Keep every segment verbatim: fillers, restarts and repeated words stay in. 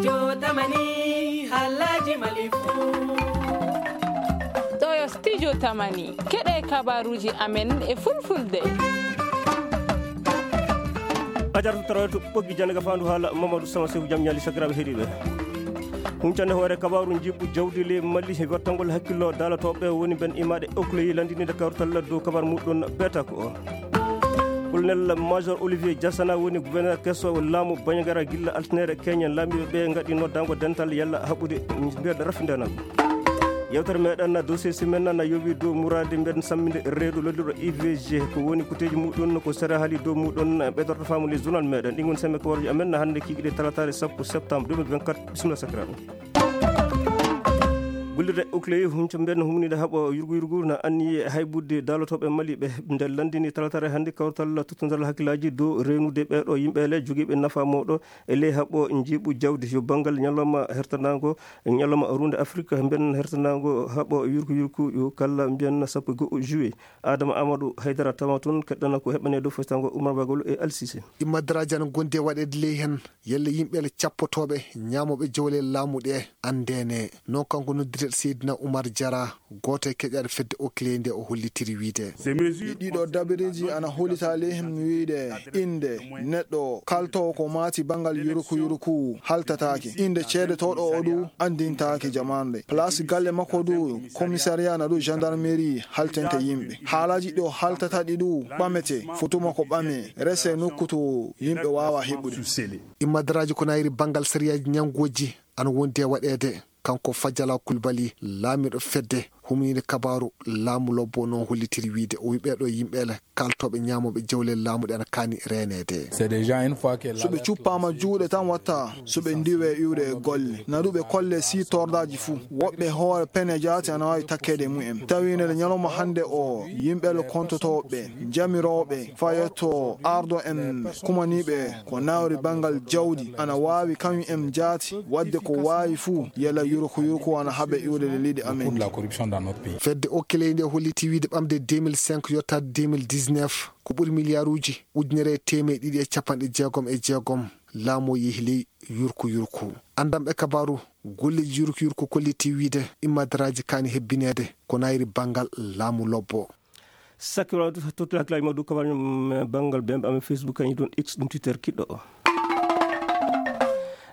Jotamani, halaji malifu. Ɗo yo Studio Tamani, keɗe kabaruji amen e fulfulde. Ajartu taroyto ɓoggi jannde ka faandu haala Mamadou Sama Seku, jam ñaali sakiraaɓe heɗiiɓe. Huncande hoore kabaaru njiɓɓu jawdi ley Mali, wattangol hakkillo daalotooɓe woni ben imaaɗe Okloyi landininde kawtal dow kabaaru muɗum ɓeeta ko o. Colonel Major Olivier Diasana woni gouverneur keso laamu Bandiagara gilla altinere keñen laamiiɓe ɓe ngaɗi noddango dental yalla haɓude mbeɗa rafindanam. Yewtere meɗen na dossier semaine na yowi dow murade mbeɗen samminde reedu lolluɗo I V G ko woni kuteji muɗum ko sera haali dow muɗum ɓeydorto faamu les journal meɗen ɗin woni semme ko warji amen na hannde kikiɗe talatare sappo septembre deux mille vingt-quatre. Bisimilla sakiraɓe. Gullirde Okley hunco mbeɗen humnide haɓo yurgu yurgu na anni haybudde dalotoɓe Mali ɓe nde landini talatare hannde kawtal tottodal hakkillaji dow renude ɓeɗo yimɓe le jogiiɓe nafa mawɗo e ley haɓo njiiɓu jawdi yo banngal ñalawma hertanango ñalawma runde Afrique mbiyen hertanango haɓo yurku yurku yo kala mbiyen sappo e go'o juillet. Adama Amadou Haydara tawa toon keɗɗana ko heɓane dow fotango Oumar Bagol e Alsise. Immadraji ana gondi e waɗeede ley heen. Yalla yimɓe le cappotooɓe ñaamooɓe jawle laamu ɗe anndene. Noon kanko noddirteɗo Seydina Oumar Diarra, gooto e keƴaaɗo fedde Okley nde o hollitiri wiyde. Ɗiɗo dabiriji ana hollita ley heen wiyde innde neɗɗo kaltoowo ko maati banngal yurku yurku haltataake. Innde ceedetooɗo o du anndintaake jamaande. Place galle makko du commissariat na du gendarmerie haltente yimɓe. Haalaji ɗo haltata ɗi du ɓamete, fotu makko ɓame, rese nokku to yimɓe waawa heɓude. Immadraji ko nayri banngal sariyaaji ñanngoji ana wondi e waɗeede. Kanko Fajala Kulbali, laamiiɗo fedde humniinde kabaaru laamu lobbo noon hollitiri wiyde o wi ɓeeɗo yimɓe le kaltooɓe ñaamooɓe jawle laamu ɗe ana kaani reeneede. So ɓe cuppaama juuɗe tan watta, so ɓe ndiwe iwde e golle. Na du ɓe kolle si tordaaji fuu. Woɓɓe hoore pene jaati ana waawi takkeede e mumen. Tawi nde ñalawma hannde o, yimɓe le kontotooɓe, jamirooɓe, fayetto ardo en kumaniiɓe ko nawri banngal jawdi, ana waawi kañum en jaati waɗde ko waawi fuu, yala yurko yurko ana haɓe iwde le leydi amen. Fedde Okley nde holliti wiyde ɓamde deux mille cinq yottaade deux mille dix-neuf, ko ɓuri miliyaaruuji ujunere e teemeɗe ɗiɗi e capanɗe jeegom e jeegom laamu o yehi ley yurku yurku. Anndanɓe kabaaru, golleeji yurku yurku kolliti wiyde immadraji kaani hebbineede ko nayri banngal laamu lobbo. Sakkiral tottude hakkillaaji ma dow kabaaru banngal bembe amen Facebook, kañum toon X, ɗum Twitter kiɗɗo o.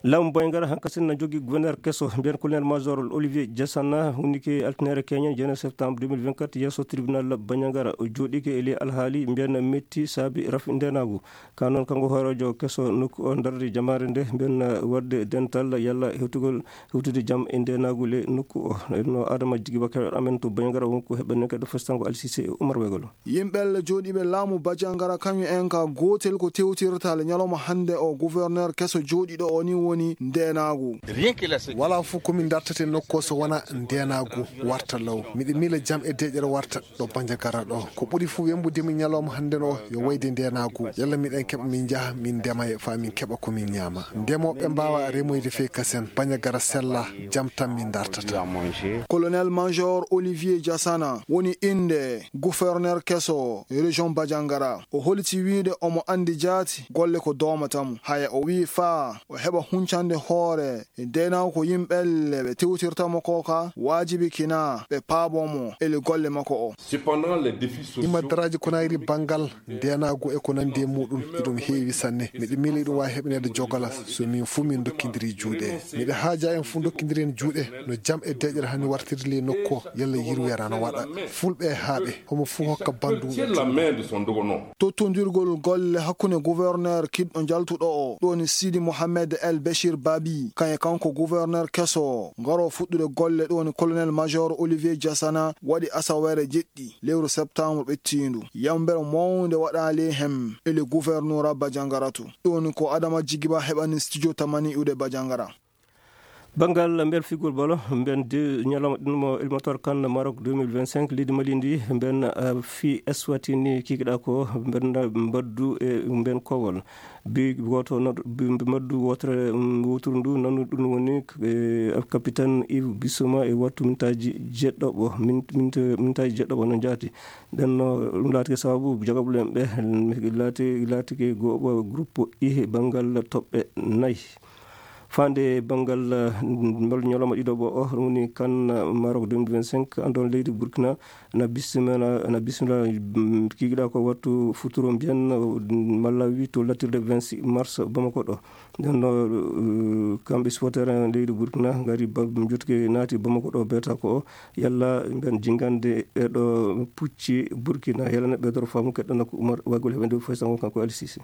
Laamu Bandiagara hankasin na jogi gouverneur keso, mbiyen colonel major Olivier Diasana, hunnike altinere keñen, jeune septembre deux mille vingt-quatre, yeeso tribunal Bandiagara. O jooɗike e ley alhaali mbiyen metti saabi rafi ndenagu. Ka noon, kanko hooreejo keso nokku o darde jamaare nde, mbiyen waɗde dental yalla hewtugol, hewtude jam e ndenagu le nokku o. No Adama Jigi Bakar amen to Bandiagara wonko heɓɓanne kadi festango Alsise e Umar Wegolo. Yimɓe le jooɗiiɓe laamu Bajangara kañum en ka gootel ko tewtirta le ñalawma hannde o gouverneur keso jooɗiiɗo o ni woni ndeenaagu. Wala fof ko min dartata e nokku o so wona ndeenaagu warta law. Miɗo miila jam e deƴƴere warta ɗo Bajangara ɗo. Ko ɓuri fof wembude mi ñalawma hannde o yo wayde ndeenaagu. Yalla miɗen keɓa min njaha min ndema e faa min keɓa ko min ñaama. Ndemooɓe mbaawa remoyde fey kasen. Bajangara sella, jam tan min dartata. Colonel Major Olivier Diasana woni innde gouverneur keso région Bajangara. O holiti wiide omo anndi jaati golle ko doomata mo. Haya o wii faa o heɓa huncande hoore e ndeenaagu ko yimɓe le ɓe tewtirta mo ko ka waajibi kina ɓe paabo mo eli golle makko o. Cependant, les défis sociaux. Immadaraaji ko nayri banngal ndeenaagu e ko nanndi e muɗum, iɗum heewi sanne. Miɗo miila iɗum waawi heɓaneede jogola so min fuu min ndokkindiri juuɗe. Miɗo haaja en fuu ndokkindiren juuɗe no jam e deƴƴere hani wartirde ley nokku o, yalla yirweere ana waɗa. Fulɓe e haaɓe, homo fuu hokka banndum. Tire la main de son dogono. Tottondirgol golle hakkunde gouverneur kiɗɗo jaltuɗo o, ɗo woni Sidi Mohamed El Bechir Babi, kañum e kanko gouverneur keso, ngaro fuɗɗude golle, ɗo woni colonel major Olivier Diasana, waɗi asaweere jeɗɗi lewru septembre ɓettiindu. Yambere mawnde waɗaali hem ele gouverneur Bajangara to. Ɗum woni ko Adama Jigiba heɓani studio Tamani iwde Bajangara. Banngal mbel figol balo, mben de ñalawma ɗum mo éliminatoire kan Maroc deux mille vingt-cinq, leydi Mali ndi, mben, eh, fi Eswatini kikiɗa ko, mben mbaddu e mben kowol. Bi gooto no-, bi, bi mbaddu wootere, mm, woturu ndu, nanu ɗum woni, eh, capitaine Yves Bissouma e wattu mintaaji jeɗɗoɓo, min-, minte-, mintaaji jeɗɗoɓo no jaati. Nden no ɗum laatike sababu jogaɓulen ɓe, laati-, laatike go-, groupe I banngal toɓɓe nayi. Faande banngal, eh, mbal ñalawma ɗiɗaɓo o, ɗum woni kan, eh, Maroc deux mille vingt-cinq, anndon leydi Burkina na bisimila, na bisimila, mm, kikiɗa ko wattu futuro mbiyen, mm, Malawi to lattirde vingt-six mars Bamako ɗo. Nden no, eh, kamɓe supporter en leydi Burkina ngari ba-, jottike naati Bamako ɗo, beeta ko o. Yalla mben jingande e ɗo pucci Burkina, yalla ne ɓeydoro faamu keɗɗo nokku Umar Wagol heɓe nde foy sango kanko Ali Sisi.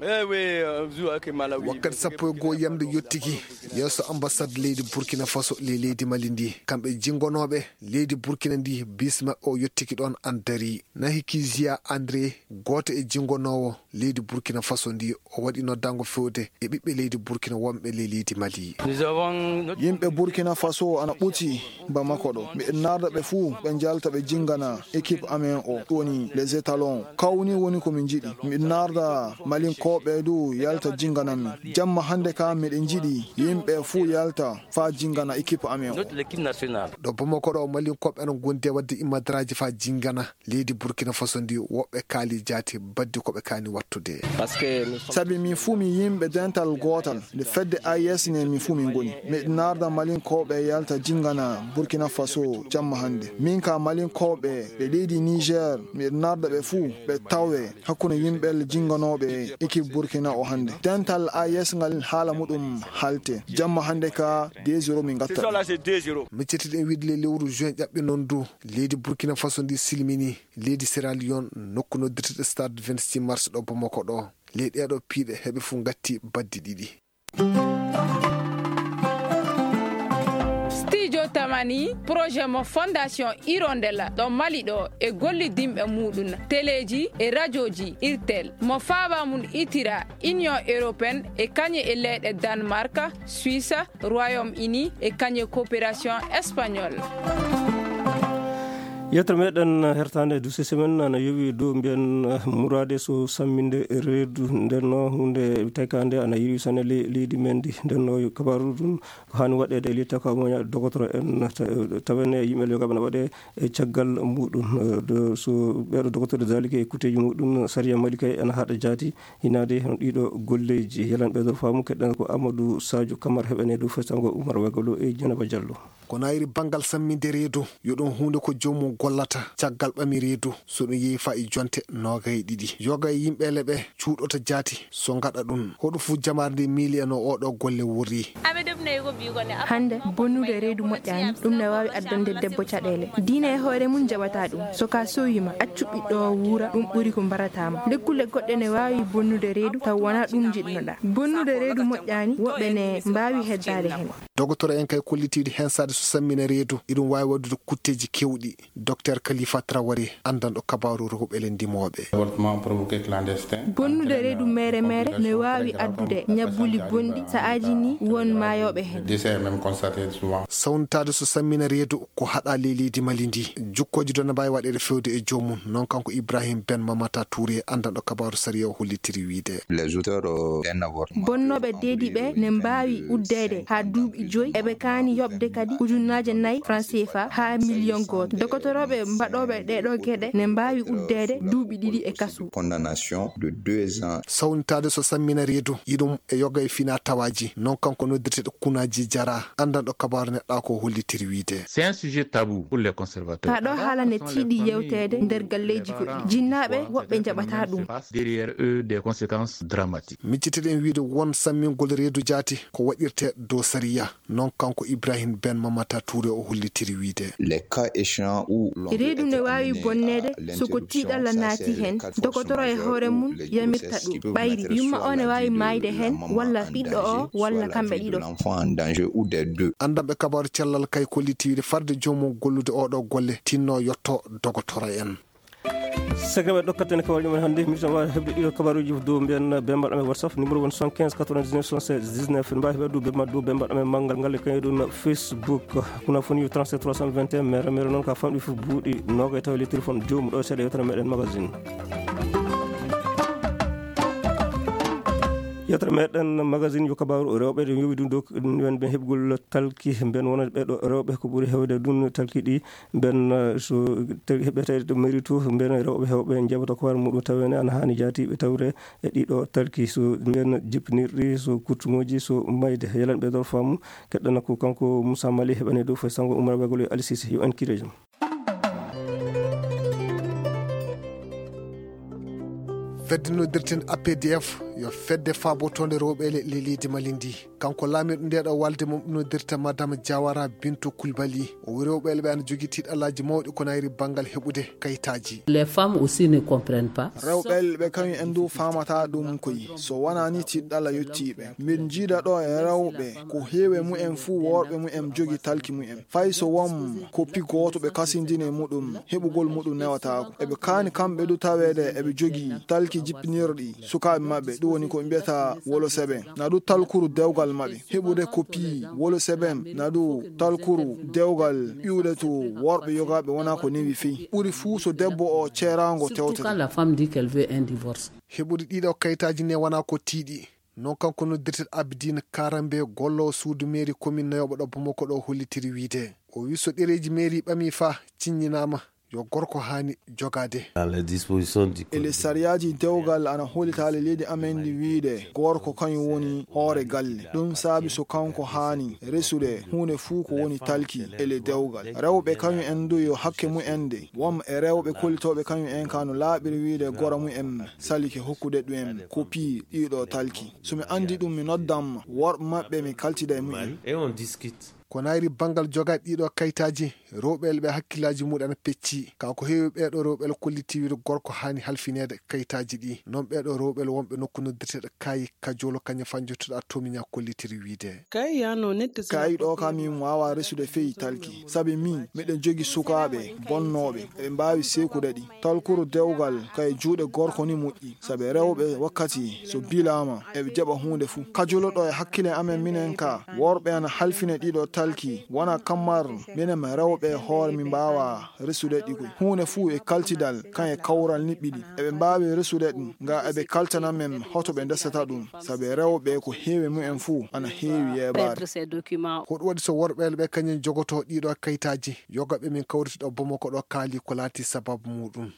Eh oui, euh, jour avec Malawi. Wakkati sappo e goo yamde yottiki, yeeso ambassade leydi Burkina Faso le leydi Mali ndi. Kamɓe jingonooɓe leydi Burkina ndi, bis maɓɓe o yottiki ɗoon Andari. Nahi Kizia André, gooto e jingonoowo leydi Burkina Faso ndi, o waɗi noddaango fewde e ɓiɓɓe leydi Burkina wonɓe le leydi Mali. Nous avons notre Yimɓe Burkina Faso ana ɓuti Bamako ɗo. Miɗen narda ɓe fuu, ɓe njalta, ɓe jingana équipe amen o, ɗum woni les étalons. Kawni woni ko min njiɗi. Miɗen narda Malinkooɓe du yalta jingana min. Jamma hannde ka miɗen njiɗi yimɓe fuu yalta faa jingana équipe amen o. Notre équipe nationale. Ɗo Bamako ɗo, Malinkooɓe ana ngondi e waɗde immadraaji faa jingana leydi Burkina Faso ndi, woɓɓe kaali jaati baddi ko ɓe kaani wattude. Parce que nous sommes Sabi min fuu min yimɓe dental gootal, nde fedde A E S ne min fuu min ngoni. Miɗen narda Malinkooɓe yalta jingana Burkina Faso jamma hannde. Min ka Malinkooɓe ɓe leydi Niger, miɗen narda ɓe fuu ɓe tawe hakkunde yimɓe jinganooɓe équipe Burkina o hannde. Dental A E S ngal haala muɗum halte. Jamma hannde ka deux zéro min ngatta. Ce soir-là, c'est deux zéro. Miccitiɗen wiide le lewru juin ƴaɓɓi noon du, leydi Burkina Faso ndi silmini leydi Sierra Leone, nokku noddirteɗo stade vingt-six mars ɗo Bamako ɗo. Ley ɗeeɗo piiɗe heɓe fuu ngatti baddi ɗiɗi. Studio Tamani, projet mo Fondation Hirondelle ɗo Mali ɗo e gollidinɓe muɗum, teleeji e rajooji Irtel, mo faaba mum itira Union Européenne e kañe e leyɗe Danemark, Suisse, Royaume-Uni e kañe coopération espagnole. Yewtere meɗen hertande du semaine ana yowi dow mbiyen, eh, muraade so samminde reedu. Nden no hunde taykande ana yowi sane le-, leydi men ndi. Nden no kabaru ɗum ko hani waɗede e litta ko moña dogotoro en ta-, tawene yimɓe yogaɓe na waɗe e caggal muɗum. Eh, do, so ɓeɗo dogotoro dalike e kuteji muɗum, sariya Mali kay ana haɗa jaati. Hinaade hono ɗiɗo golleeji, yelan ɓeydor faamu, keɗɗen ko Amadou Sadio Camara heɓene dow festango Oumar Wegolo e Dieynaba Diallo. Ko nayri banngal samminde reedu, yo ɗum huunde ko joomum gollata caggal ɓami reedu, so ɗum yehi faa e jonte noogay e ɗiɗi. Yoga e yimɓe leɓe cuuɗota jaati so ngaɗa ɗum. Hoɗum fof jamaare nde miili e no oɗo golle worri. Hannde, bonnude reedu moƴƴaani, ɗum ne waawi addande debbo caɗeele. Diine e hoore mum jaɓataa ɗum. So ka sowiima, accu ɓiɗɗo o wuura, ɗum ɓuri ko mbarataama. Lekkulle goɗɗe ne waawi bonnude reedu, taw wonaa ɗum njiɗnoɗaa. Bonnude reedu moƴƴaani, woɓɓe ne mbaawi heddaade heen. Dogotoro en kay kollitiiɗi hensaade so sammina reedu, iɗum waawi waɗude kutteeji keewɗi. Docteur Khalifa Traoré, anndanɗo kabaaru rewɓe le ndimooɓe. Avortement provoqué clandestin. Bonnude reedu mere mere ne waawi addude ñabbuli bonɗi, sa'aaji ni won maayooɓe heen. Décès même constaté souvent. Sawntaade so sammina reedu ko haɗa ley leydi Mali ndi. Jukkooji ɗo ne mbaawi waɗeede fewde e joomum. Noon kanko Ibrahim Ben Mamata Touré, anndanɗo kabaaru sariya o hollitiri wiyde. Les auteurs, euh, d'un avortement. Bonnooɓe deedi ɓe ne mbaawi uddeede haa duuɓi joyi, eɓe kaani yoɓde kadi ujunnaaje nayi franc C F A haa miliyon gooto. Dogotorooɓe mbaɗooɓe ɗee ɗoo geɗe ne mbaawi uddeede duuɓi ɗiɗi e kaso. Condamnation de deux ans. Sawnitaade so sammina reedu, iɗum e yoga e fina tawaaji. Noon kanko noddirteeɗo Kunaaji Jara, anndanɗo kabaaru neɗɗaako o hollitiri wiyde. C'est un sujet tabou pour les conservateurs. Kaa ɗoo haala ne tiiɗi yewteede nder galleeji goɗɗi. Jinnaaɓe woɓɓe njaɓataa ɗum. Derrière eux des conséquences dramatiques. Miccitiɗen wiyde won sammingol reedu jaati ko waɗirtee dow sariya. Noon kanko Ibrahim Ben Mamata Touré o hollitiri wiyde. Les cas échéants où l'on veut Reedu ne waawi bonneede so ko tiiɗalla naati heen, dogotoro e hoore mum yamirta ɗum. Ɓayri, yumma o ne waawi maayde heen, walla ɓiɗɗo o, walla kamɓe ɗiɗo. L'enfant en danger ou des deux. Anndanɓe kabaaru cellal kay kolliti wiyde farde joomum gollude oɗo golle tinno yotto dogotoro en. Sekreɓe ɗokkaten ko waɗi men hannde, miɗo wawi heɓde ɗiɗo kabaruji dow mbiyen bembaɗo men WhatsApp, numéro won soixante-quinze quatre-vingt-dix-neuf soixante-seize dix-neuf. En mbawi heɓde dow bembaɗo, dow bembaɗo men manngal ngal e kañum ɗum Facebook. Kuna foni trente-sept trois cent vingt et un, mere, mere noon ka famɗi fof buuɗi noga e tawi le téléphone joomu ɗo seeɗa yewtere meɗen magazine. Yetere meɗen magazine yo kabaaru rewɓe ɗe yowi ɗum dow nden ɓe heɓgol talki, mben wonande ɓeɗo rewɓe ko ɓuri hewde ɗum talki ɗi, mben, eh, so tawi heɓete ɗo mairie to, mben rewɓe hewɓe njaɓata ko war muɗum tawene ana hani jaati ɓe tawre e ɗiɗo talki, so mben jippinirɗi, so kurtuŋoji, so mayde. Yelanɓe dor faamu, keɗɗana ko kanko Moussa Mali heɓani dow foy sango Oumar Bagolo e Ali Cissé. Yo en kirejo. Fedde noddirten A P D F yo fedde faabotoonde rewɓe le-, le-, leydi Mali ndi. Kanko laamiiɗo nde ɗo walde mum noddirta Madame Diawara Bintou Koulibaly. O wi rewɓe le ɓe ana jogii tiiɗalaaji mawɗi ko nayri banngal heɓude kayitaaji. Les femmes aussi ne comprennent pas. Rewɓe le ɓe kañum en du faamata ɗum koyi. So wonaa ni tiiɗalla yottii ɓe. Mbiɗo jiida ɗo e rewɓe ko heewi e mumen fuu worɓe mumen jogii talki mumen. Fay so won koppi gooto ɓe kasindini e muɗum, heɓugol muɗum newataako. Eɓe kaani kamɓe du taweede eɓe jogii talki jippinirɗi sukaaɓe maɓɓe, ɗum woni ko ɓe mbiyata wolo seben. Na du talkuru dewgal maɓɓe. Heɓude koppi wolo seben, na du talkuru dewgal iwde to worɓe yogaaɓe wonaa ko newi fey. Ɓuri fuu so debbo o ceeraango tewtete. Surtout quand la femme dit qu'elle veut un divorce. Heɓude ɗiɗo kayitaaji ne wonaa ko tiiɗi. Non kanko noddirteɗo Abidine Karambe, golloowo suudu mairie commune nayooɓo ɗo Bamako ɗo hollitiri wiide. O wi so ɗereeji mairie ɓami fa ciññinaama, yo gorko haani jogaade. Dans les dispositions du code. E les sariyaaji dewgal ana hollitaali leydi amen ndi wiide gorko kañum woni hoore galle. Ɗum saabi so kanko haani resude huunde fuu ko woni talki e le dewgal. Rewɓe kañum en du yo hakke mumen de. Won e rewɓe kollitooɓe kañum en ka no laaɓiri wiide gora mumen salike hokkude ɗum en koppi ɗiɗo talki. So mi anndi ɗum, mi noddan worɓe maɓɓe, mi kaltida e mumen. Et on discute. Ko nayri banngal jogaade ɗiɗo kayitaaji, rewɓe le ɓe hakkillaaji muɗum ana pecci. Ka ko heewi ɓeeɗo rewɓe le kolliti wiide gorko haani halfineede kayitaaji ɗi. Non ɓeeɗo rewɓe le wonɓe nokku noddirteeɗo Kaayi Kajolo kañum fa njottuɗa tomiña kollitiri wiide. Kaayi ɗo ka min waawa resude fey talki. Sabi min, miɗen jogi sukaaɓe bonnooɓe, eɓe mbaawi sekude ɗi. Talkuru dewgal ka e juuɗe gorko ni moƴƴi, sabi rewɓe wakkati so bilaama, eɓe jaɓa huunde fuu. Kajoloɗo e hakkile amen minen ka, worɓe ana halfine ɗiɗo talki, wona kammar minen rewɓe e hoore mi mbaawa resude ɗi koy. Huunde fuu e kaltidal, kan e kawral niɓɓiɗi. Eɓe mbaawi resude ɗum, nga eɓe kaltana men hoto ɓe ndesata ɗum, sabi rewɓe ko heewi mumen fuu ana heewi yeebaade. Perdre ces documents. Ko ɗum waɗi so worɓe ɓe kañum jogoto ɗiɗo kayitaaji, yogaɓe min kawriti ɗo Bamako ɗo kaali ko laati sababu muɗum.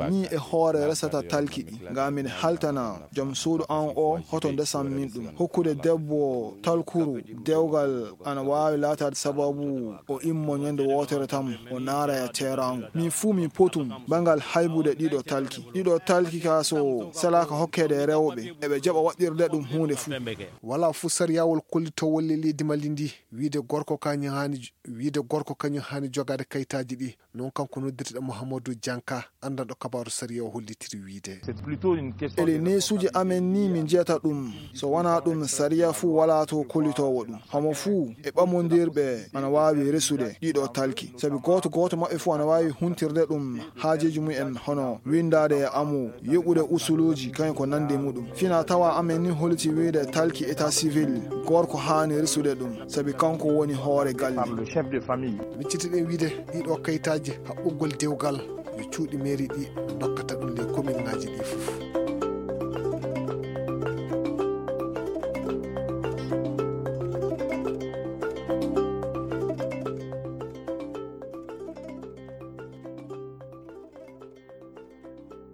Ni e hoore resata talki ɗi, nga min haltana joom suudu an o hoto ndesan min ɗum. Hokkude debbo talkuru dewgal ana waawi laataade sababu o immo ñande wootere tan o naara e teeraango. Min fuu min potum bangal haybude ɗiɗo talki. Ɗiɗo talki ka so selaaka hokkeede e rewɓe, eɓe jaɓa waɗirde ɗum huunde fuu. Wala fuu sariyawol kollitowol e leydi Mali ndi, wiide gorko kañum haani, wiide gorko kañum haani jogaade kayitaaji ɗi. Non kanko noddirteɗo Mouhamadou Dianka, anndanɗo kabaaru sariya o hollitiri wiide. Ele neesuuji amen ni min njiyata ɗum, so wonaa ɗum sariya fuu walaa to kollitoowo ɗum. Homo fuu e ɓamondirɓe ana waawi resude ɗiɗo talki, sabi gooto gooto maɓɓe fuu ana waawi huntirde ɗum haajeeji mumen hono winndaade e amu, yoɓude usuluuji kañum ko nanndi muɗum. Fina tawa amen ni holliti wiide talki état civil, gorko haani resude ɗum, sabi kanko woni hoore galle. Miccitiɗen wiide ɗiɗo kayitaaji haɓɓugol dewgal yo cuuɗi mairie ɗi dokkata ɗum les commune ngaji ɗi fof.